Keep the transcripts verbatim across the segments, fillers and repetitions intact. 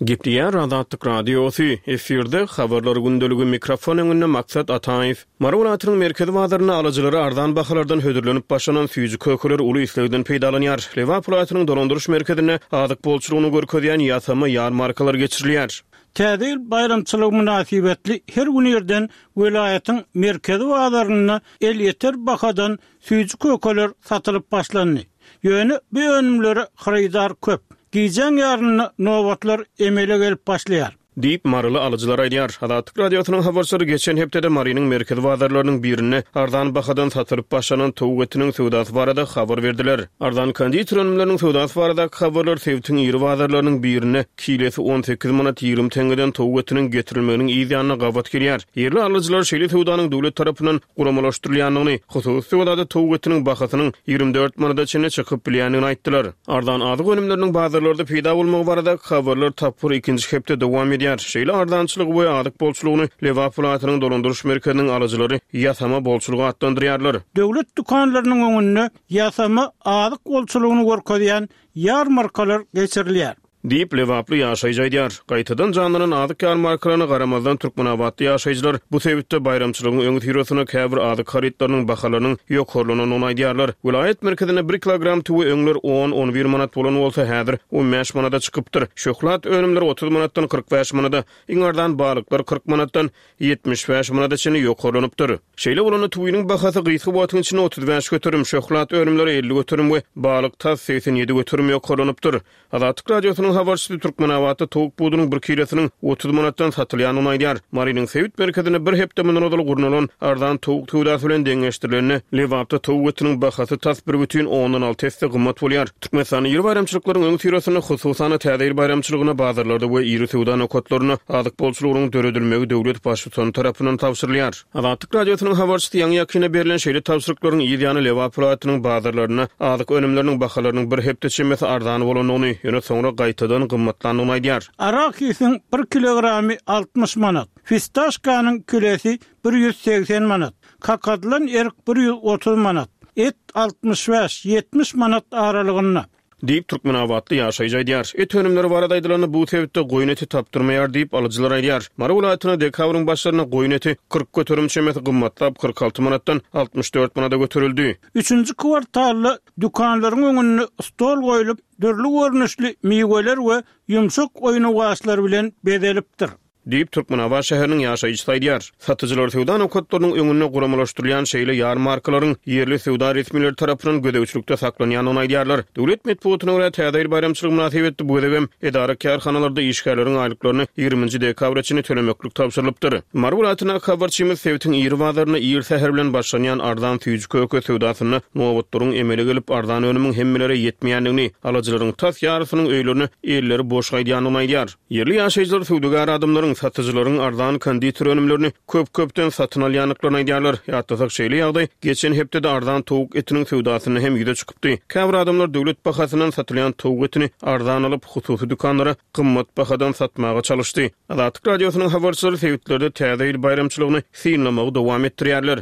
Gepleýär Azatlyk Radiosy, efirde Habarlar gündeligi, mikrofon öňünde Maksat Ataýew. Mary welaýatynyň merkezi bazarynda alyjylara arzan bahalardan hödürlenip başlanan süýji-kökeler uly islegden peýdalanýar. Lebap welaýatynyň dolandyryş merkezinde azyk bolçulygyny görkezýän ýasama ýarmarkalar geçirilýär. Täze ýyl baýramçylygy mynasybetli her gün irden welaýatyň merkezi bazarynda elýeter bahadan süýji-kökeler satylyp başlandy. Ýöne bu önümlere hyrydar köp. Gijäň ýarynda nobatlar emele gelip başlaýar. Diýip, maryly alyjylar aýdýar. Azatlyk Radiosynyň habarçylary geçen hepdede Marynyň merkezi bazarlarynyň birinde arzan bahadan satylyp başlanan towuk etiniň söwdasy barada habar berdiler. Arzan konditer önümleriniň söwdasy baradaky habarlar sebitiň iri bazarlarynyň birinde kilesi on sekiz manat ýigrimi teňňeden towuk etiniň getirilmeginiň yz ýanyna gabat gelýär. Ýerli alyjylar şeýle söwdanyň döwlet tarapyndan guramalaşdyrylýandygyny, hususy söwdada towuk etiniň bahasynyň ýigrimi dört manada çenli çykyp bilýändigini aýtdylar. Arzan azyk önümleriniň bazarlarda peýda bolmagy baradaky habarlar tapgyr ikinji hepde dowam edýär. Şeýle arzançylygy we azyk bolçulygyny Lebap welaýatynyň dolandyryş merkeziniň alyjylary ýasama bolçulygy atlandyrýarlar. Döwlet dükanlarynyň öňünde ýasama azyk bolçulygyny görkezýän ýarmarkalar geçirilýär. Diýip, lebaply ýaşaýjy aýdýar. Gaýtadan janlanan azyk ýarmarkalaryna garamazdan, türkmenabatly ýaşaýjylar bu sebitde baýramçylygyň öňüsyrasynda käbir azyk harytlarynyň bahalarynyň ýokarlanandygyny aýdýarlar. Welaýat merkezinde bir kilogram tüwi öňler on-on bir manat bolan bolsa, häzir on bäş manada çykypdyr. Şöhlat önümleri otuz manatdan kyrk bäş manada, iň arzan balyklar kyrk manatdan ýetmiş bäş manada çenli ýokarlanypdyr. Şeýle bolanda tüwiniň bahasy gysga wagtyň içinde otuz bäş göterim, şöhlat önümleri elli göterim we balyk tas segsen ýedi göterim ýokarlanypdyr. Azatlyk Radiosynyň habarçysy Türkmenabatda towuk budunyň bir kilosynyň otuz manatdan satylýandygyny aýdýar. Marynyň sebit merkezinde bir hepde mundan ozal gurnalan arzan towuk söwdasy bilen deňeşdirilende, Lebapda towuk etiniň bahasy tas bir bütin ondan alty esse gymmat bolýar. Türkmenistanda iri baýramçylyklaryň öňüsyrasynda, hususan-da, Täze ýyl baýramçylygyna bazarlarda we iri söwda nokatlarynda azyk bolçulygynyň döredilmegi döwlet Baştutany tarapyndan tabşyrylýar. Azatlyk Radiosynyň habarçysy ýaňy-ýakynda berlen şeýle tabşyryklaryň yz ýany Lebap welaýatynyň bazarlarynda azyk önümleriniň bahalarynyň bir hepde çemesi arzan bolandygyny, ýöne soňra gaýtadan gymmatlandygyny aýdýar. Arahisiň bir kilogramy altmyş manat, fistaşkanyň kilesi bir ýüz segsen manat, kakadylan erik bir ýüz otuz manat, et altmyş bäş, ýetmiş manat aralygynda. Diýip, türkmenabatly ýaşaýjy aýdýar. Et önümleri barada aýdylanda, bu sebitde goýun eti tapdyrmaýar diýip, alyjylar aýdýar. Mary welaýatynda dekabryň başlarynda goýun eti kyrk göterim çemesi gymmatlap, kyrk alty manatdan altmyş dört manada göterildi. Üçünji kwartalda dükanlaryň öňünde stol goýlup, dürli görnüşli miweler we ýumşak oýnawaçlar bilen bezelipdir. Diýip, Türkmenabat şäheriniň ýaşaýjysy aýdýar. Satyjylar söwda nokatlarynyň öňünde guramalaşdyrylýan şeýle ýarmarkalaryň ýerli söwda resmileri tarapyndan gözegçilikde saklanýandygyny aýdýarlar. Döwlet metbugatyna görä, Täze ýyl baýramçylygy mynasybetli bu gezegem edara-kärhanalarda işgärleriň aýlyklaryny ýigriminji dekabra çenli tölemeklik tabşyrylypdyr. Mary welaýatyndaky habarçymyz sebitiň iri bazarynda ir säher bilen başlanýan arzan süýji-köke söwdasynda nobatlaryň emele gelip, arzan önümiň hemmelere ýetmeýändigini, alyjylaryň tas ýarysynyň öýlerine elleri boş gaýdýandygyny aýdýar. Ýerli ýaşaýjylar söwdagär adamlaryň, satyjylaryň arzan konditer önümlerini köp-köpden satyn alýandyklaryny aýdýarlar. Ýatlasak, şeýle ýagdaý geçen hepdede arzan towuk etiniň söwdasynda hem ýüze çykypdy. Käbir adamlar döwlet bahasyndan satylýan towuk etini arzan alyp, hususy dükanlara gymmat bahadan satmaga çalyşdy. Azatlyk Radiosynyň habarçylary sebitlerde Täze ýyl baýramçylygyny synlamagy dowam etdirýärler.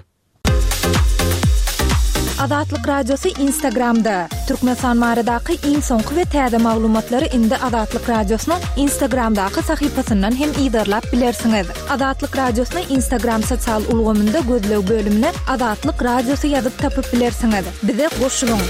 Azatlyk Radiosy Instagramda. Türkmenistan baradaky iň soňky we täze maglumatlary indi Azatlyk Radiosynyň Instagramdaky sahypasyndan hem yzarlap bilersiňiz. Azatlyk Radiosyny Instagram sosial ulgamynda gözleg bölümine Azatlyk Radiosy ýazyp tapyp bilersiňiz. Bize goşulyň!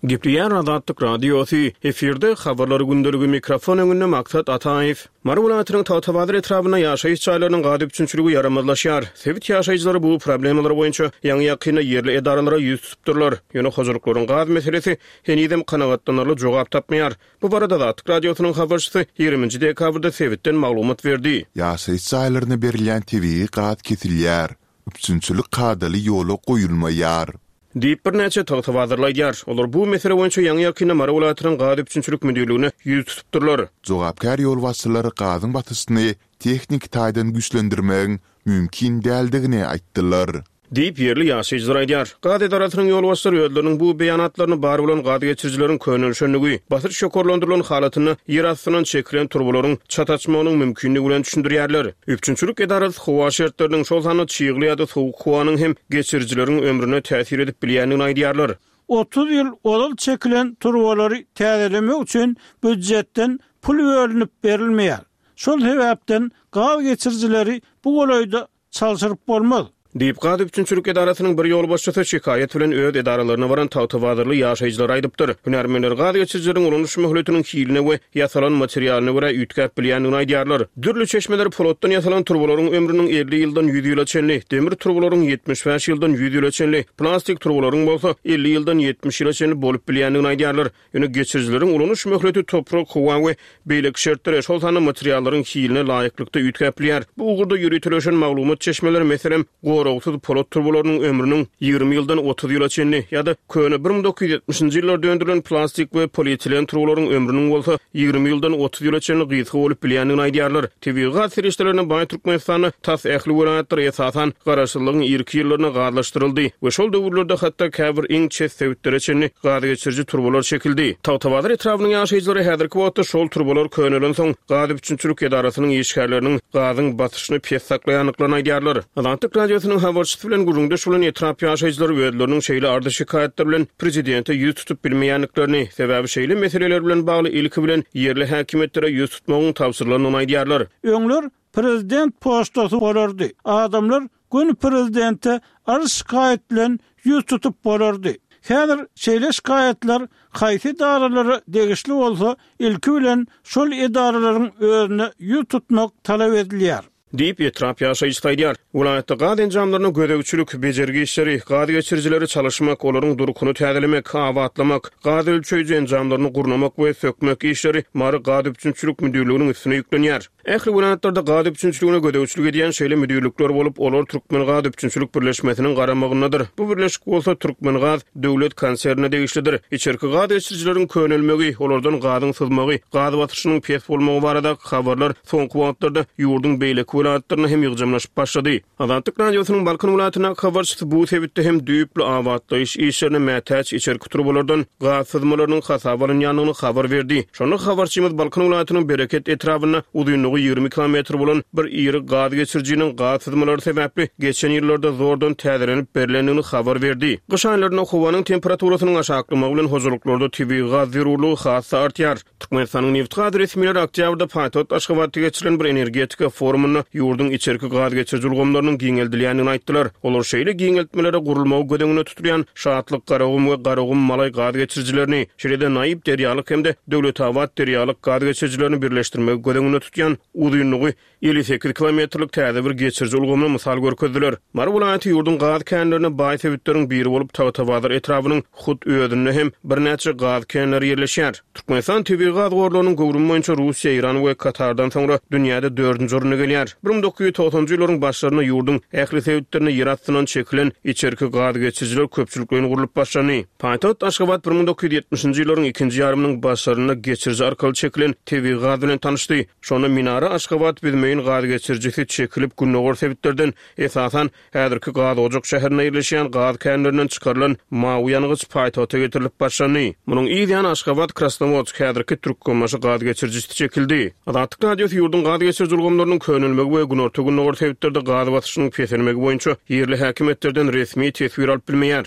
Gepleýär Azatlyk Radiosy, efirde Habarlar gündeligi, mikrofon öňünde Maksat Ataýew. Mary welaýatynyň Tagtabazar etrabynda ýaşaýyş jaýlarynyň gaz üpjünçiligi ýaramazlaşýar. Sebit ýaşaýjylary bu problemalar boýunça ýaňy-ýakynda ýerli edaralara ýüz tutupdyrlar. Ýöne hojalyklaryň gaz meselesi henizem kanagatlanarly jogap tapmaýar. Bu barada Azatlyk Radiosynyň habarçysy ýigriminji dekabrda sebitden maglumat berdi. Ýaşaýyş jaýlaryna berilýän tebigy gaz kesilýär. Üpjünçilik kadaly ýola goýulmaýar. Diýip, birnäçe tagtabazarly aýdýar. Olar bu mesele boýunça ýaňy-ýakynda Mary welaýatynyň gaz üpjünçilik müdirligine ýüz tutupdyrlar. Jogapkär ýolbaşçylar gazyň basyşyny tehniki taýdan güýçlendirmegiň mümkin däldigini aýtdylar. Diýip, ýerli ýaşaýjylar aýdýar. Gaz edarasynyň ýolbaşçylary özleriniň bu beýanatlaryny bar bolan gaz geçirijileriň könelişenligi, basyş ýokarlandyrylan halatynda ýer astyndan çekilen turbalaryň çat açmagynyň mümkinligi bilen düşündirýärler. Üpjünçilik edarasy howa şertleriniň, şol sanda çygly ýa-da sowuk howanyň hem geçirijileriň ömrüne täsir edip bilýändigini aýdýarlar. Otuz ýyl ozal çekilen turbalary täzelemek üçin býujetden pul bölünip berilmeýär. Şol sebäpden gaz geçirijileri bu golaýda çalşyryp bolmaz. Diýip, gaz üpjünçilik edarasynyň bir ýolbaşçysy şikaýat bilen öz edaralaryna baran tagtabazarly ýaşaýjylara aýdypdyr. Hünärmenler gaz geçirijileriň ulanyş möhletiniň hiline we ýasalan materialyna görä üýtgäp bilýändigini aýdýarlar. Dürli çeşmeler polatdan ýasalan turbalaryň ömrüniň elli ýyldan ýüz ýyla çenli, demir turbalaryň ýetmiş bäş ýyldan ýüz ýyla çenli, plastik turbalaryň bolsa elli ýyldan ýetmiş ýyla çenli bolup bilýändigini aýdýarlar. Ýöne geçirijileriň ulanyş möhleti toprak, howa we beýleki şertlere, şol sanda materiallaryň hiline laýyklykda üýtgäp bilýär. Bu ugurda ýöriteleşen maglumat çeşmeleri, meselem, goragsyz polat turbalarynyň ömrüniň ýigrimi ýyldan otuz ýyla çenli ýa-da köne bir müň dokuz ýüz ýetmişinji ýyllarda öndürilen plastik we polietilen turbalaryň ömrüniň bolsa ýigrimi ýyldan otuz ýyla çenli gysga bolup bilýändigini aýdýarlar. Tebigy gaz serişdelerine baý Türkmenistanda tas ähli welaýatlar, esasan, Garaşsyzlygyň irki ýyllarynda gazlaşdyryldy we şol döwürlerde hatda käbir iň çet sebitlere çenli gaz geçiriji turbalar çekildi. Tagtabazar etrabynyň ýaşaýjylary häzirki wagtda şol turbalar könelensoň, gaz üpjünçilik edarasynyň işgärleriniň gazyň basyşyny pes saklaýandyklaryny aýdýarlar. Azatlyk Radiosynyň habarçysy bilen gürrüňdeş bolan etrap ýaşaýjylary özleriniň şeýle arza-şikaýatlar bilen prezidente ýüz tutup bilmeýändiklerini, sebäbi şeýle meseleler bilen bagly ilki bilen ýerli häkimiýetlere ýüz tutmagyň tabşyrylandygyny aýdýarlar. Öňler prezident poçtasy bolardy. Adamlar göni prezidente arz-şikaýat bilen ýüz tutup bolardy. Häzir şeýle şikaýatlar haýsy edaralara degişli bolsa, ilki bilen şol edaralaryň özüne ýüz tutmak talap edilýär. Diýip, etrap ýaşaýjysy aýdýar. Welaýatda gaz enjamlaryna gözegçilik, bejergi işleri, gaz geçirijileri çalyşmak, olaryň durkuny täzelemek, abatlamak, gaz ölçeýji enjamlaryny gurnamak we sökmek işleri Mary gaz üpjünçilik müdirliginiň üstüne ýüklenýär. Ähli welaýatlarda gaz üpjünçiligine gözegçilik edýän şeýle müdirlikler bolup, olar Türkmengaz üpjünçilik birleşmesiniň garamagyndadyr. Bu birleşik bolsa Türkmengaz döwlet konsernine degişlidir. Içerki gaz geçirijileriň könelmegi, olardan gazyň syzmagy, gaz basyşynyň pes bolmagy baradaky habarlar soňky wagtlarda ýurduň beýleki welaýatlarynda hem ýygjamlaşyp başlady. Azatlyk Radiosynyň Balkan welaýatyndaky habarçysy bu sebitde hem düýpli abatlaýyş işlerine mätäç içerki turbalardan gaz syzmalarynyň hasaba alynýandygyny habar berdi. Şonda habarçymyz Balkan welaýatynyň Bereket etrabynda uzynlygy ýigrimi kilometr bolan bir iri gaz geçirijiniň gaz syzmalary sebäpli geçen ýyllarda zordan täzelenip berlendigini habar berdi. Gyş aýlarynda howanyň temperaturasynyň aşaklamagy bilen hojalyklarda tebigy gaz zerurlygy has-da artýar. Türkmenistanyň nebit-gaz resmileri oktýabrda paýtagt Aşgabatda geçirilen bir energetika forumynda ýurduň içerki gaz geçiriji ulgamlarynyň giňeldilýändigini aýtdylar. Olar şeýle giňeltmelere gurulmagy göz öňünde tutulýan Şatlyk, Garagum we Garagum-Malaý gaz geçirijilerini, şeýle-de Naýyp derýalyk hem-de Döwletabat derýalyk gaz geçirijilerini birleşdirmegi göz öňünde tutýan uzynlygy elli sekiz kilometrlik täze bir geçiriji ulgamyny mysal görkezdiler. Mary welaýaty ýurduň gaz känlerine baý sebitleriň biri bolup, Tagtabazar etrabynyň hut özünde hem birnäçe gaz känleri ýerleşýär. Türkmenistan tebigy gaz gorlarynyň göwrümi boýunça Russiýa, Eýran we Katardan soňra dünýäde dördünji orunda gelýär. Bir müň dokuz ýüz togsanjy ýyllaryň başlarynda ýurduň ähli sebitlerinde ýer astyndan çekilen içerki gaz geçirijiler köpçülikleýin gurlup başlandy. Paýtagt Aşgabat bir müň dokuz ýüz ýetmişinji ýyllaryň ikinji ýarymynyň başlarynda geçiriji arkaly çekilen tebigy gaz bilen tanyşdy. Şonda Minara Aşgabat Büzmeýin gaz geçirijisi çekilip, gündogar sebitlerden, esasan, häzirki Gazojak şäherinde ýerleşýän gaz känlerinden çykarylan mawy ýangyç paýtagta getirilip başlandy. Munuň yz ýany Aşgabat Krasnowodsk, häzirki Türkmenbaşy gaz geçirijisi çekildi. Azatlyk Radiosy ýurduň gaz geçiriji ulgamlarynyň könelmegi we günorta-gündogar sebitlerde gaz basyşynyň peselmegi boýunça ýerli häkimiýetlerden resmi teswir alyp bilmeýär.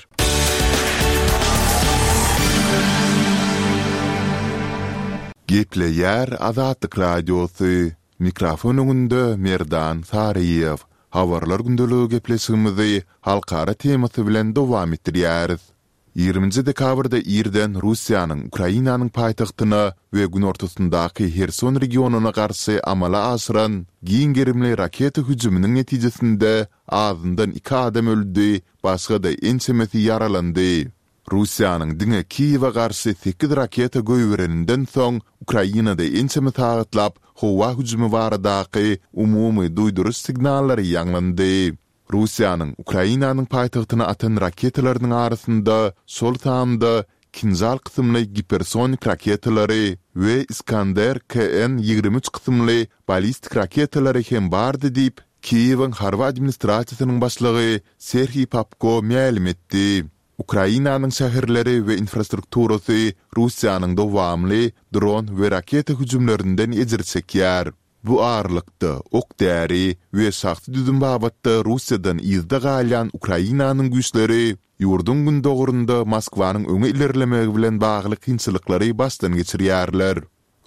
Gepleýär Azatlyk Radiosy. Mikrofon öňünde Merdan Saryýew. Habarlar gündeligi gepleşigimizi halkara temasy bilen dowam etdirýäris. Ýigriminji dekabrda irden Russiýanyň Ukrainanyň paýtagtyna we günortasyndaky Herson regionyna garşy amala aşyran giň gerimli raketa hüjüminiň netijesinde azyndan iki adam öldi, başga-da ençemesi ýaralandy. Russiýanyň diňe Kiýewe garşy sekiz raketa goýbereninden soň Ukrainada ençeme sagatlap howa hüjümi baradaky umumy duýduryş signallary ýaňlandy. Russiýanyň Ukrainanyň paýtagtyna atan raketalarynyň arasynda şol sanda Kinžal kysymly gipersonik raketalary we Iskander K N ýigrimi üç kysymly ballistik raketalary hem bardy diýip, Kiýewiň harby administrasiýasynyň başlygy Serhiý Popko mälim etdi. Ukrainanyň şäherleri we infrastrukturasy Russiýanyň dowamly dron we raketa hüjümlerinden ejir çekýär. Bu aralykda, ok-däri we şahsy düzüm babatda Russiýadan yzda galýan Ukrainanyň güýçleri ýurduň gündogarynda Moskwanyň öňe ilerlemegi bilen bagly kynçylyklary başdan geçirýärler.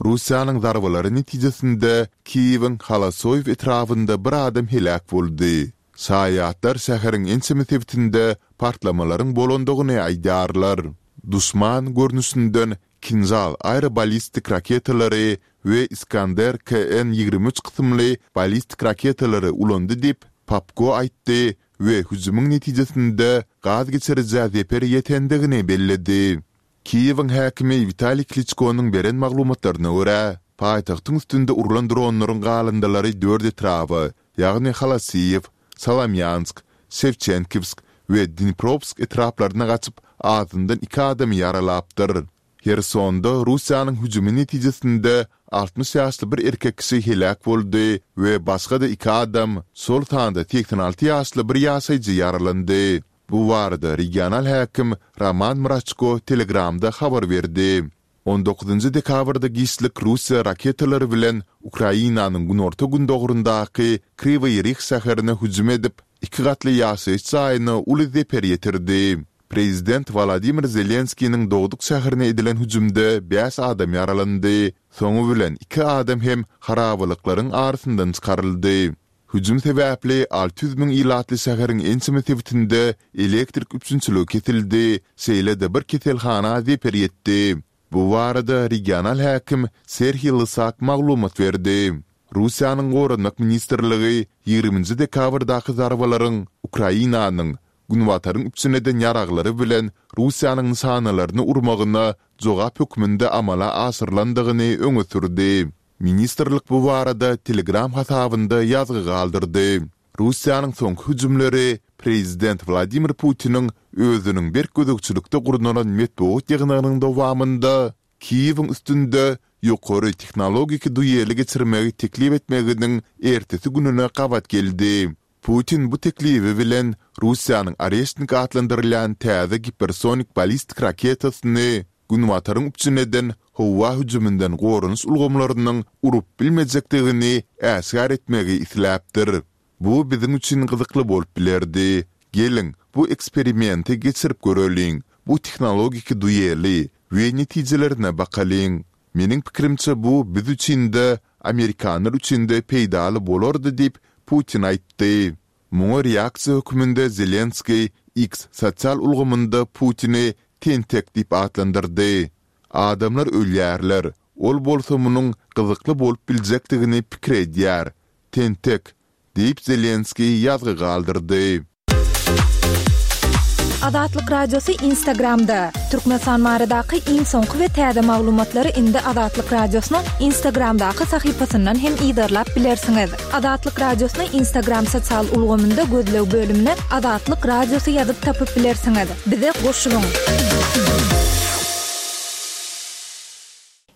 Russiýanyň zarbalary netijesinde Kiýewiň Halasoýew etrabynda bir adam heläk boldy. Şaýatlar şäheriň ençeme sebitinde partlamalaryň bolandygyny aýdýarlar. Duşman görnüşinden Kinžal aeroballistik raketalary we Iskander K N ýigrimi üç kysymly ballistik raketalary ulandy diýip, Popko aýtdy we hüjümiň netijesinde gaz geçirijä zeper ýetendigini belledi. Kiýewiň häkimi Witaliý Kliçkonyň beren maglumatlaryna görä, paýtagtyň üstünde urlan dronlaryň galyndylary dört etraba, ýagny Holosiýew, Solomýansk, Şewçenkowsk we Dniprowsk etraplaryna gaçyp, azyndan iki adamy ýaralapdyr. Hersonda Russiýanyň hüjümi netijesinde altmyş ýaşly bir erkek kişi heläk boldy we başga-da iki adam, şol sanda segsen alty ýaşly bir ýaşaýjy ýaralandy. Bu barada regional häkim Roman Mraçko Telegramda habar berdi. On dokuzynjy dekabrda giçlik Russiýa raketalary bilen Ukrainanyň günorta-gündogaryndaky Kriwyý Rih şäherine hüjüm edip, iki gatly ýaşaýyş jaýyna uly zeper ýetirdi. Prezident Wolodymyr Zelenskiniň dogduk şäherine edilen hüjümde bäş adam ýaralandy, soňy bilen iki adam hem harabalyklaryň arasyndan çykaryldy. Hüjüm sebäpli alty ýüz müň ilatly şäheriň ençeme sebitinde elektrik üpjünçiligi kesildi, şeýle-de bir keselhana zeper ýetdi. Bu barada regional häkim Serhiý Lysak maglumat berdi. Russiýanyň Goranmak ministrligi ýigriminji dekabrdaky zarbalaryň Ukrainanyň Günbataryň üpjün eden ýaraglary bilen Russiýanyň nyşanalaryny urmagyna jogap hökmünde amala aşyrylandygyny öňe sürdi. Ministrlik bu barada Telegram hasabynda ýazgy galdyrdy. Russiýanyň soňky hüjümleri prezident Wladimir Putiniň özüniň berk gözegçilikde gurnalan metbugat ýygnagynyň dowamynda Kiýewiň üstünde ýokary tehnologik dueli geçirmegi teklip etmeginiň ertesi gününe gabat geldi. Putin bu teklibi bilen Russiýanyň Oreşnik atlandyrylýan täze gipersonik ballistik raketasyny Günbataryň üpjün eden howa hüjüminden goranyş ulgamlarynyň urup bilmejekdigini äşgär etmegi isläpdir. Bu biziň üçin gyzykly bolup bilerdi. Geliň, bu eksperimenti geçirip göreliň, bu tehnologik dueli we netijelerine bakalyň. Meniň pikirimçe bu biz üçin-de, amerikanlar üçin-de peýdaly bolardy diýip, Putin aýtdy. Muňa reaksiýa hökmünde Zelenskiý X sosial ulgamynda Putini tentek diýip atlandyrdy. Adamlar ölýärler, ol bolsa munuň gyzykly bolup biljekdigini pikir edýär. Tentek, diýip Zelenskiý ýazgy galdyrdy. Azatlyk Radiosy Instagramda, Türkmenistan baradaky iň soňky we täze maglumatlary indi Azatlyk Radiosynyň Instagramdaky sahypasyndan hem yzarlap bilersiňiz. Azatlyk Radiosyny Instagram sosial ulgamynda gözleg bölümine Azatlyk Radiosy ýazyp tapyp bilersiňiz. Bize goşulyň!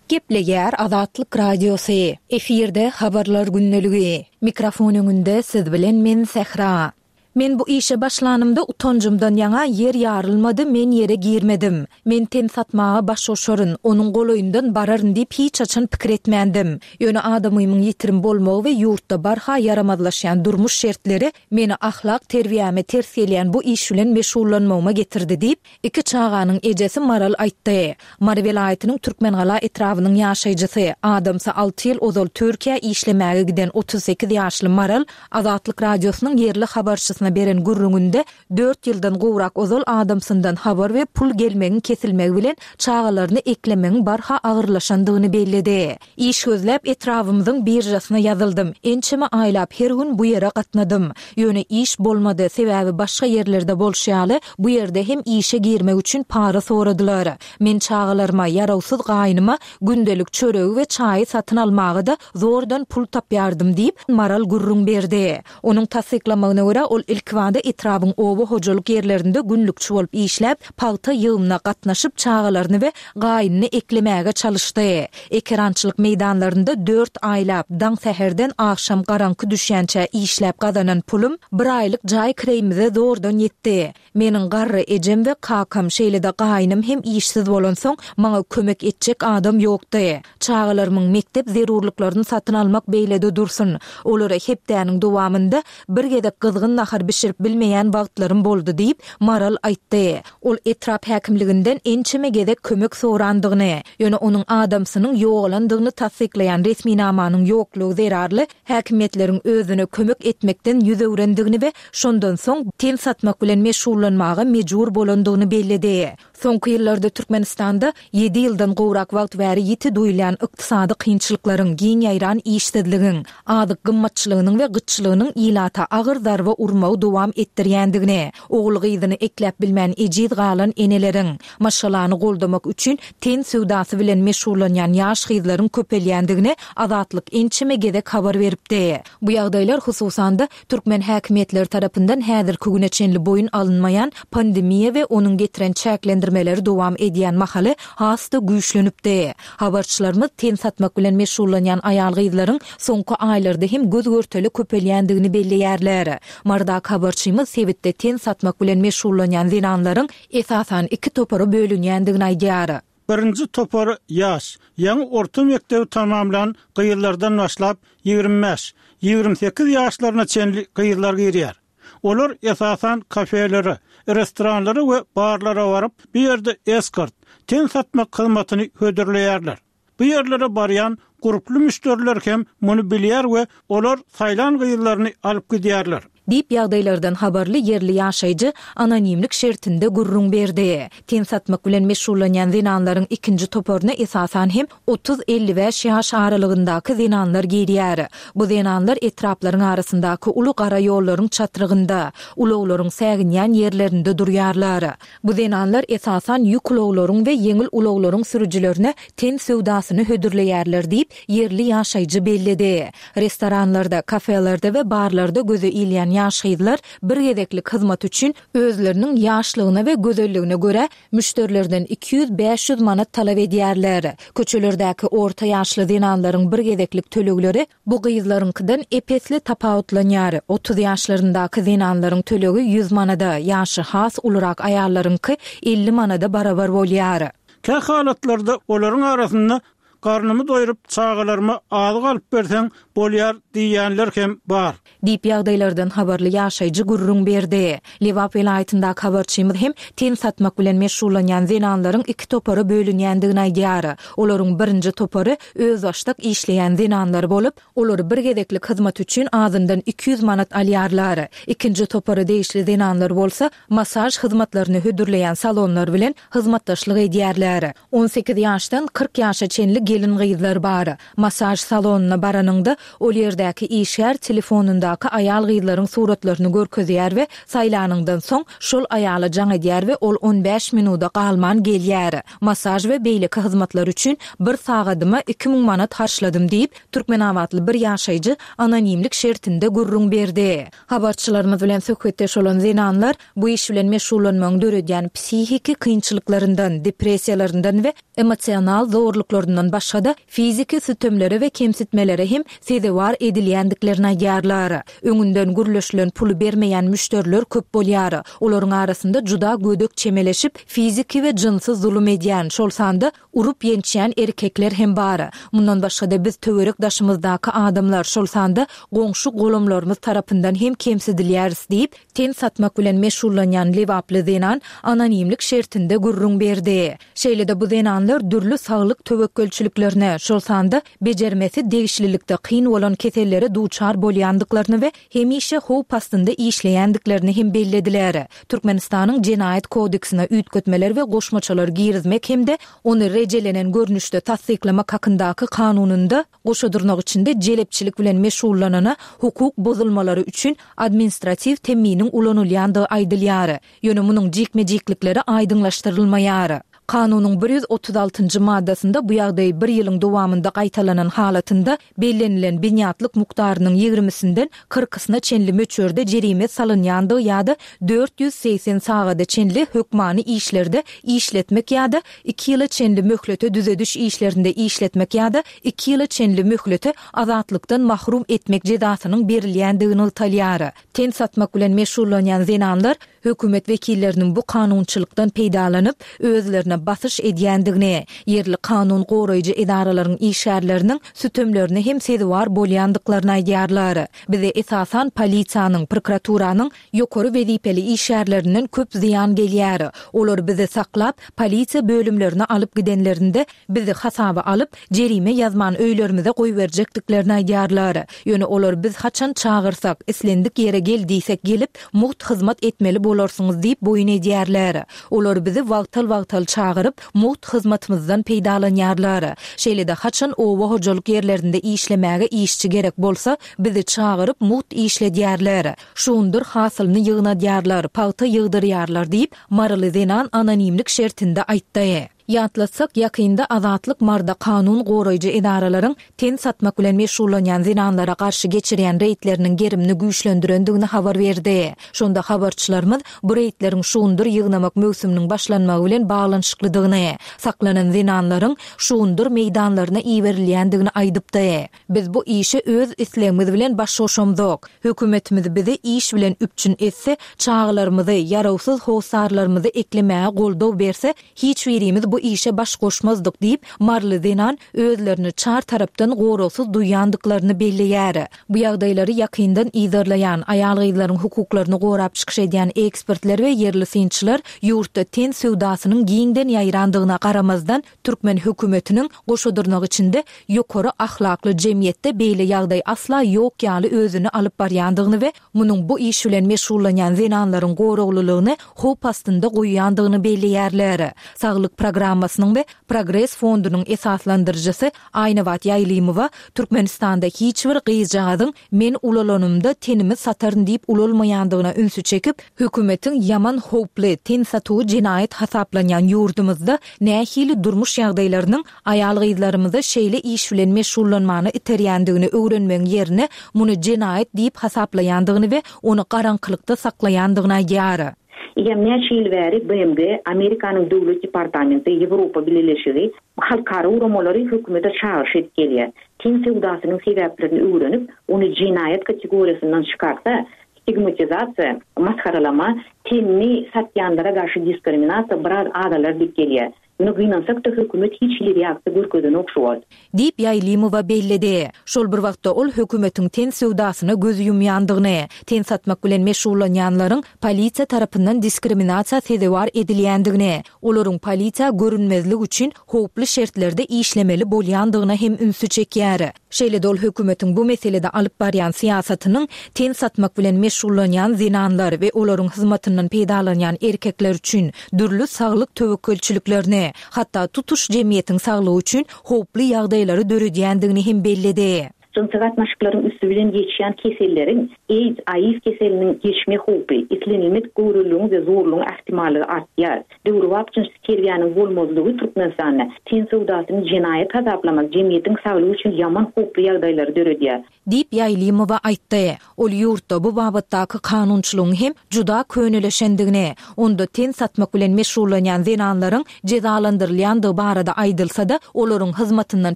Gepleýär Azatlyk Radiosy. Efirde Habarlar gündeligi. Mikrofon öňünde siz bilen men Sähra. Men bu işe başlanymda utanjymdan ýaňa ýer ýarylmady, men ýere girmedim. Men ten satmaga baş goşaryn, onuň golaýyndan bararyn diýip hiç haçan pikir etmändim. Ýöne adamymyň ýitirim bolmagy we ýurtda barha ýaramazlaşýan durmuş şertleri meni ahlak terbiýäme ters gelýän bu iş bilen meşgullanmagyma getirdi diýip, Iki çaganyň ejesi Maral aýtdy. Mary welaýatynyň Türkmengala etrabynyň ýaşaýjysy, adamsy alty ýyl ozal Türkiýä işlemäge giden otuz sekiz ýaşly Maral Azatlyk Radiosynyň ýerli habarçysyna beren gürrüňinde dört ýyldan gowrak ozal adamsyndan habar we pul gelmegiň kesilmegi bilen çagalaryny eklemegiň barha agyrlaşandygyny belledi. Iş gözläp etrabymyzyň biržasyna ýazyldym. Ençeme aýlap her gün bu ýere gatnadym. Ýöne iş bolmady, sebäbi başga ýerlerde bolşy ýaly, bu ýerde hem işe girmek üçin para soradylar. Men çagalaryma, ýarawsyz gaýnyma gündelik çöregi we çaýy satyn almaga-da zordan pul tapýardym diýip, Maral gürrüň berdi. Onuň tassyklamagyna görä, ol Ilkibada etrabyň oba hojalyk ýerlerinde günlükçi bolup işläp, pagta ýygymyna gatnaşyp, çagalaryny we gaýynyny eklemäge çalyşdy. Ekerançylyk meýdanlarynda dört aýlap, daň säherden agşam garaňky düşýänçä işläp gazanan pulum bir aýlyk jaý kireýimize zordan ýetdi. Meniň garry ejem we kakam, şeýle-de gaýynym hem işsiz bolansoň, maňa kömek etjek adam ýokdy. Çagalarymyň mekdep zerurlyklaryny satyn almak beýle-de dursun, olara hepdäniň dowamynda bir gezek gyzgyn nahar bişirip bilmeýän wagtlarym boldy diýip, Maral aýtdy. Ol etrap häkimliginden ençeme gezek kömek sorandygyny, ýöne onuň adamsynyň ýogalandygyny tassyklaýan resminamanyň ýoklugy zerarly häkimiýetleriň özüne kömek etmekden ýüz öwrendigini we şondan soň ten satmak bilen meşgullanmaga mejbur bolandygyny belledi. Soňky ýyllarda Türkmenistanda ýedi ýyldan gowrak wagt bäri ýiti duýulýan ykdysady kynçylyklaryň, giň ýaýran işsizligiň, azyk gymmatçylygynyň we gytçylygynyň ilata agyr zarba urmagy dowam etdirýändigini, ogul-gyzyny ekläp bilmän ejiz galan eneleriň, maşgalany goldamak üçin ten söwdasy bilen meşgullanýan ýaş gyzlaryň köpelýändigini Azatlyk ençeme gezek habar beripdi. Bu ýagdaýlar, hususan-da, türkmen häkimiýetleri tarapyndan häzirki güne çenli boýun alynmaýan pandemiýa we onuň getiren çäklendirmeleri dowam edýän mahaly has-da güýçlenipdi. Habarçylarymyz ten satmak bilen meşgullanýan aýal-gyzlaryň soňky aýlarda hem göz-görtele köpelýändigini belleýärler. Marydaky habarçymyz sebitde ten satmak bilen meşgullanýan zenanlaryň esasan iki topara bölünýändigini aýdýar. Birinji topar ýaş, ýaňy orta mekdebi tamamlan gyzlardan başlap, ýigrimi bäş, ýigrimi sekiz ýaşlaryna çenli gyzlar girýär. Olar esasan kafelere, restoranlara we barlara baryp, bu ýerde eskort, ten satmak hyzmatyny hödürleýärler. Bu ýerlere barýan gurply müşderiler hem muny bilýär we olar saýlan gyzlaryny alyp gidýärler. Diýip, ýagdaýlardan habarly ýerli ýaşaýjy anonimlik şertinde gürrüň berdi. Ten satmak bilen meşgullanýan zenanlaryň ikinji toparyna esasan hem otuz-elli bäş ýaş aralygyndaky zenanlar girýär. Bu zenanlar etraplaryň arasyndaky uly gara ýollaryň çatrygynda, ulaglaryň säginýän ýerlerinde durýarlar. Bu zenanlar esasan ýük ulaglaryň we ýeňil ulaglaryň sürüjilerine ten söwdasyny hödürleýärler diýip, ýerli ýaşaýjy belledi. Restoranlarda, kafelerde we barlarda göze ilýän ýaş gyzlar bir gezeklik hyzmat üçin özleriniň ýaşlygyna we gözelligine görä müşderilerden iki ýüz, bäş ýüz manat talap edýärler. Köçelerdäki orta ýaşly zenanlaryň bir gezeklik tölegleri bu gyzlaryňkydan ep-esli tapawutlanýar. Otuz ýaşlaryndaky zenanlaryň tölegi ýüz manada, ýaşy has ulurak aýallaryňky elli manada barabar bolýar. Kä halatlarda olaryň arasynda Garnymy doýrup, çagalaryma azyk alyp berseň bolýar diýýänler hem bar. Diýip, ýagdaýlardan habarly ýaşaýjy gürrüň berdi. Lebap welaýatyndaky habarçymyz hem ten satmak bilen meşgullanýan zenanlaryň iki topara bölünýändigini aýdýar. Olaryň birinji topary özbaşdak işleýän zenanlar bolup, olar bir gezeklik hyzmat üçin azyndan iki ýüz manat alýarlar. Ikinji topara degişli zenanlar bolsa massaž hyzmatlaryny hödürleýän salonlar bilen hyzmatdaşlyk edýärler. On sekiz ýaşdan kyrk ýaşa çenli gelin-gyzlar bar. Massaž salonyna baranyňda, ol ýerdäki işgär telefonyndaky aýal-gyzlaryň suratlaryny görkezýär we saýlanyňdan soň, şol aýala jaň edýär we ol on bäş minuda galman gelýär. Massaž we beýleki hyzmatlar üçin bir sagadyma iki müň manat harçladym diýip, türkmenabatly bir ýaşaýjy anonimlik şertinde gürrüň berdi. Habarçylarymyz bilen söhbetdeş bolan zenanlar bu iş bilen meşgullanmagyň döredýän psihiki kynçylyklaryndan, depressiýalaryndan we emosional zorluklaryndan başga-da, fiziki sütemlere we kemsitmelere hem sezewar edilýändiklerini aýdýarlar. Öňünden gürleşilen puly bermeýän müşderiler köp bolýar. Olaryň arasynda juda gödek çemeleşip, fiziki we jynsy zulum edýän, şol sanda urup-ýençýän erkekler hem bar. Mundan başga-da biz töwerek-daşymyzdaky adamlar, şol sanda goňşy-golamlarymyz tarapyndan hem kemsidilýäris diýip, ten satmak bilen meşgullanýan lebaply zenan anonimlik şertinde gürrüň berdi. Şeýle-de bu zenanlar dürli saglyk töwekgelçiliklerine, şol sanda bejermesi degişlilikde kyn bolan kesellere duçar bolýandyklaryny we hemişe howp astynda işleýändiklerini hem bellediler. Türkmenistanyň Jenaýat kodeksine üýtgetmeler we goşmaçalar girizmek hem-de ony rejelenen görnüşde tassyklamak hakyndaky kanunynda goşa dyrnak içinde jelepçilik bilen meşgullanana hukuk bozulmalary üçin administratiw temminiň ulanylýandygy aýdylýar. Ýöne munuň jikme-jiklikleri aýdyňlaşdyrylmaýar. Kanunyň bir ýüz otuz altynjy maddasynda bu ýagdaý bir ýylyň dowamynda gaýtalanan halatynda bellenilen binýatlyk mukdarynyň ýigrimisinden kyrkysyna çenli möçberde jerime salynýandygy ýa-da dört ýüz segsen sagada çenli hökmany işlerde işletmek ýa-da iki ýyla çenli möhlete düzediş işlerinde işletmek ýa-da iki ýyla çenli möhlete azatlykdan mahrum etmek jezasynyň berilýändigi nygtalýar. Ten satmak bilen meşgullanýan zenanlar hökümet wekilleriniň bu kanunçylykdan peýdalanyp, özlerine basyş edýändigini, ýerli kanun goraýjy edaralaryň işgärleriniň sütemlerine hem sezewar bolýandyklaryny aýdýarlar. Bize esasan polisiýanyň, prokuraturanyň ýokary wezipeli işgärlerinden köp zyýan gelýär. Olar bizi saklap, polisiýa bölümlerine alyp gidenlerinde bizi hasaba alyp, jerime ýazman öýlerimize goýberjekdiklerini aýdýarlar. Ýöne olar biz haçan çagyrsak, islendik ýere gel diýsek gelip, mugt hyzmat etmeli bolarsyňyz diýip boýun edýärler. Olar bizi wagtal-wagtal çagyryp, mugt hyzmatymyzdan peýdalanýarlar. Şeýle-de haçan oba hojalyk ýerlerinde işlemäge işçi gerek bolsa, bizi çagyryp mugt işledýärler. Şundur hasylyny ýygnadýarlar, pagta ýygdyrýarlar diýip, Maryly zenan anonimlik şertinde aýtdy. Ýatlatsak, ýakynda Azatlyk Marda kanun goraýjy edaralaryň ten satmak bilen meşgullanýan zenanlara garşy geçirýän reýdleriniň gerimini güýçlendirendigini habar berdi. Şonda habarçylarymyz bu reýdleriň şugundyr ýygnamak möwsüminiň başlanmagy bilen baglanyşyklydygyny, saklanan zenanlaryň şugundyr meýdanlaryna iberilýändigini aýdypdy. Biz bu işe öz islegimiz bilen baş goşamzok. Hökümetimiz bizi iş bilen üpjün etse, çagalarymyzy, ýarawsyz hossarlarymyzy eklemäge goldaw berse, hiç birimiz bu işe baş goşmazdyk diýip, Maryly zenan özlerini çar tarapdan goragsyz duýýandyklaryny belleýär. Bu ýagdaýlary ýakyndan yzarlaýan, aýal-gyzlaryň hukuklaryny gorap çykyş edýän ekspertler we ýerli synçylar ýurtda ten söwdasynyň giňden ýaýrandygyna garamazdan, türkmen hökümetiniň goşadyrnak içinde ýokary ahlakly jemgyýetde beýle ýagdaý asla ýok ýaly özüni alyp barýandygyny we munuň bu iş bilen meşgullanýan zenanlaryň goraglylygyny howp astynda goýýandygyny belleýärler. Saglyk programmasynyň we Progres fondunyň esaslandyryjysy Aýnabat Ýaýlymowa Türkmenistanda hiç bir gyzjagazyň men ulalanymda tenimi sataryn diýip ulalmaýandygyna ünsi çekip, hökümetiň ýaman howply, ten satuwy jenaýat hasaplanýan ýurdumyzda nähili durmuş ýagdaýlarynyň aýal-gyzlarymyzy şeýle iş bilen meşgullanmana iterýändigini öwrenmegiň ýerine muny jenaýat diýip hasaplaýandygyny we ony garaňkylykda saklaýandygyny aýdýar. Eýýäm näçe ýyl bäri B M G, Amerikanyň Döwlet departamenti, Ýewropa Bileleşigi halkara guramalary hökümete çagyryş edip gelýär. Ten söwdasynyň sebäplerini öwrenip, ony jenaýat kategoriýasyndan çykarsa, stigmatizasiýa, masgaralama, tenini satýanlara garşy diskriminasiýa biraz azalar diýip gelýär. Muny gynansak da hökümet hiç hili reaksiýa görkezenok şu wagt. Diýip Ýaýlymowa belledi. Şol bir wagtda ol hökümetiň ten söwdasyna göz ýumýandygyny, ten satmak bilen meşgullanýanlaryň polisiýa tarapyndan diskriminasiýa sezewar edilýändigini, olaryň polisiýa görünmezlik üçin howply şertlerde işlemeli bolýandygyna hem ünsi çekýär. Şeýle-de ol hökümetiň bu meselede alyp barýan syýasatynyň ten satmak bilen meşgullanýan zenanlar we olaryň hyzmatyndan peýdalanýan erkekler üçin dürli saglyk töwekgelçiliklerini, hatda tutuş jemgyýetiň saglygy üçin howply ýagdaýlary döredýändigini hem belledi. Jynsy gatnaşyklaryň üstü bilen geçýän keselleriň AIDS, A I V keseliniň geçme howpy, islenilmedik göwreliligiň we zorlugyň ähtimallygy artýar. Döwrebap jynsy terbiýäniň bolmazlygy Türkmenistanda ten söwdasyny jenaýat hasaplamak jemgyýetiň saglygy üçin ýaman howply ýagdaýlary döredýär. Diýip Ýaýlymowa aýtdy. Ol ýurtda bu babatdaky kanunçylygyň hem juda köneleşendigini, onda ten satmak bilen meşgullanýan zenanlaryň jezalandyrylýandygy barada aýdylsa-da, olaryň hyzmatyndan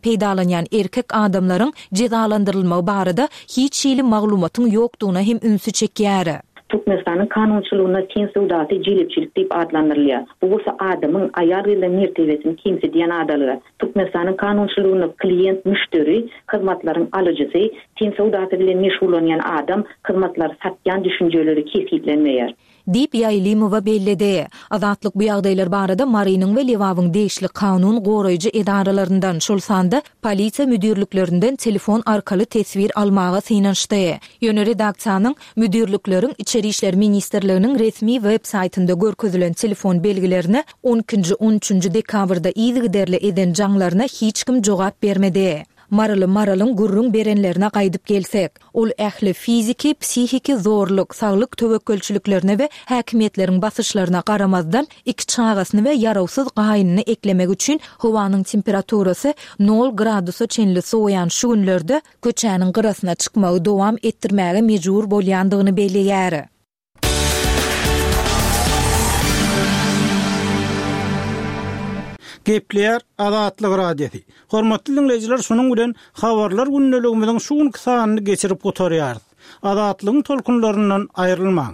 peýdalanýan erkek adamlaryň jezalandyrylmagy barada hiç hili maglumatyň ýokdugyna hem ünsi çekýär. Türkmenistanyň kanunçylygynda ten söwdasy jelepçilik diýip adlandyrylýar. Bu bolsa adamyň aýal-gyzlaryň mertebesini kemsidýän adalyga. Türkmenistanyň kanunçylygynda klient, müşderi, hyzmatlaryň alyjysy, ten söwdasy bilen meşgullanýan adam hyzmatlary satýan düşünjeleri kesgitlenmeýär. Diýip Ýaýlymowa belledi. Azatlyk bu ýagdaýlar barada Marynyň we Lebabyň degişli kanun goraýjy edaralaryndan, şol sanda polisiýa müdirliklerinden telefon arkaly teswir almaga synanyşdy. Ýöne redaksiýanyň müdirlikleriň Içeri işler ministrliginiň resmi web saýtynda görkezilen telefon belgilerine on ikinji, on üçünji dekabrda yzygiderli eden jaňlaryna hiç kim jogap bermedi. Maryly Maralyň gürrüň berenlerine gaýdyp gelsek, ol ähli fiziki, psihiki zorluk, saglyk töwekgelçiliklerine we häkimiýetleriň basyşlaryna garamazdan, iki çagasyny we ýarawsyz gaýynyny eklemek üçin howanyň temperaturasy nol gradusa çenli sowaýan şu günlerde köçäniň gyrasyna çykmagy dowam etdirmäge mejbur bolýandygyny belleýär. Gepleýär Azatlyk Radiosy. Hormatly diňleýjiler, şunuň bilen Habarlar gündeligimiziň şu günki sanyny geçirip gutarýarys. Azatlygyň tolkunlaryndan aýrylmaň.